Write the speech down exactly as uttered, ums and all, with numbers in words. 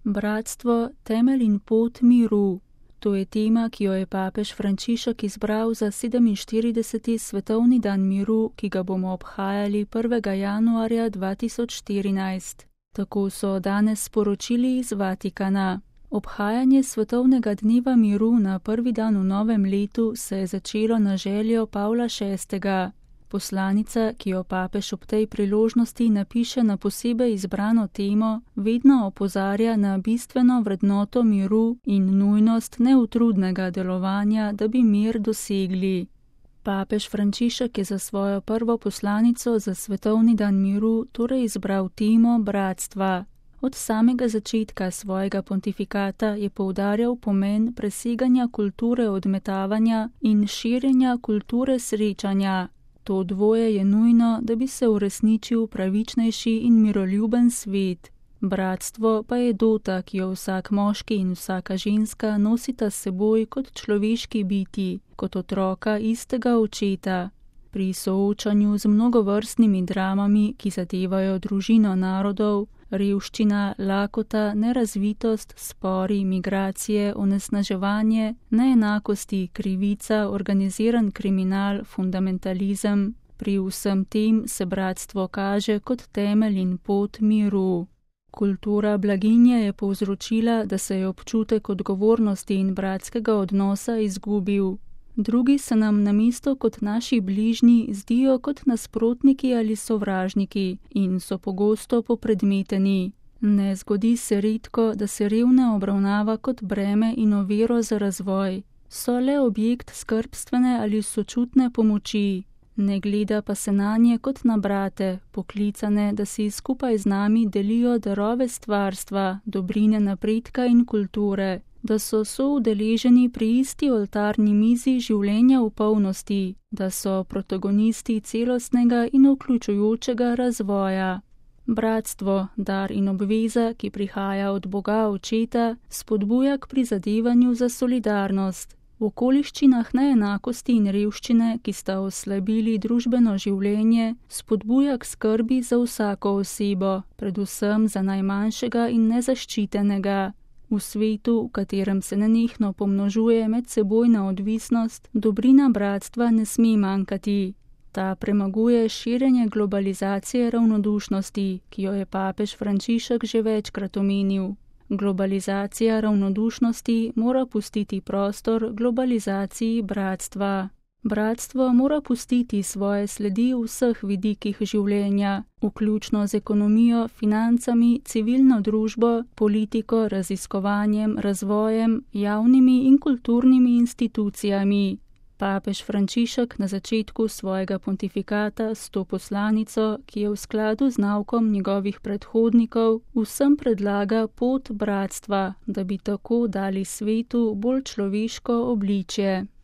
Bratstvo, temelj in pot miru. To je tema, ki jo je papež Frančišek izbral za sedeminštirideseti svetovni dan miru, ki ga bomo obhajali prvega januarja dva tisoč štirinajst. Tako so danes sporočili iz Vatikana. Obhajanje svetovnega dneva miru na prvi dan v novem letu se je začelo na željo Pavla šestega. Poslanica, ki jo papež ob tej priložnosti napiše na posebej izbrano temo, vedno opozarja na bistveno vrednoto miru in nujnost neutrudnega delovanja, da bi mir dosegli. Papež Frančišek je za svojo prvo poslanico za svetovni dan miru torej izbral temo bratstva. Od samega začetka svojega pontifikata je poudarjal pomen preseganja kulture odmetavanja in širjenja kulture srečanja. To dvoje je nujno, da bi se uresničil pravičnejši in miroljuben svet. Bratstvo pa je dota, ki jo vsak moški in vsaka ženska nosita s seboj kot človeški biti, kot otroka istega očeta. Pri soočanju z mnogovrstnimi dramami, ki zadevajo družino narodov, revščina, lakota, nerazvitost, spori, migracije, onesnaževanje, neenakosti, krivica, organiziran kriminal, fundamentalizem. Pri vsem tem se bratstvo kaže kot temelj in pot miru. Kultura blaginje je povzročila, da se je občutek odgovornosti in bratskega odnosa izgubil. Drugi se nam namesto kot naši bližnji zdijo kot nasprotniki ali sovražniki in so pogosto popredmeteni. Ne zgodi se redko, da se revne obravnava kot breme in oviro za razvoj. So le objekt skrbstvene ali sočutne pomoči. Ne gleda pa se nanje kot na brate, poklicane, da si skupaj z nami delijo darove stvarstva, dobrine napredka in kulture, da so soudeleženi pri isti oltarni mizi življenja v polnosti, da so protagonisti celostnega in vključujočega razvoja. Bratstvo, dar in obveza, ki prihaja od Boga Očeta, spodbuja k prizadevanju za solidarnost. V okoliščinah neenakosti in revščine, ki sta oslabili družbeno življenje, spodbuja k skrbi za vsako osebo, predvsem za najmanjšega in nezaščitenega. V svetu, v katerem se nenehno pomnožuje medsebojna odvisnost, dobrina bratstva ne sme manjkati. Ta premaguje širjenje globalizacije ravnodušnosti, ki jo je papež Frančišek že večkrat omenil. Globalizacija ravnodušnosti mora pustiti prostor globalizaciji bratstva. Bratstvo mora pustiti svoje sledi v vseh vidikih življenja, vključno z ekonomijo, financami, civilno družbo, politiko, raziskovanjem, razvojem, javnimi in kulturnimi institucijami. Papež Frančišek na začetku svojega pontifikata s to poslanico, ki je v skladu z naukom njegovih predhodnikov, vsem predlaga pot bratstva, da bi tako dali svetu bolj človeško obličje.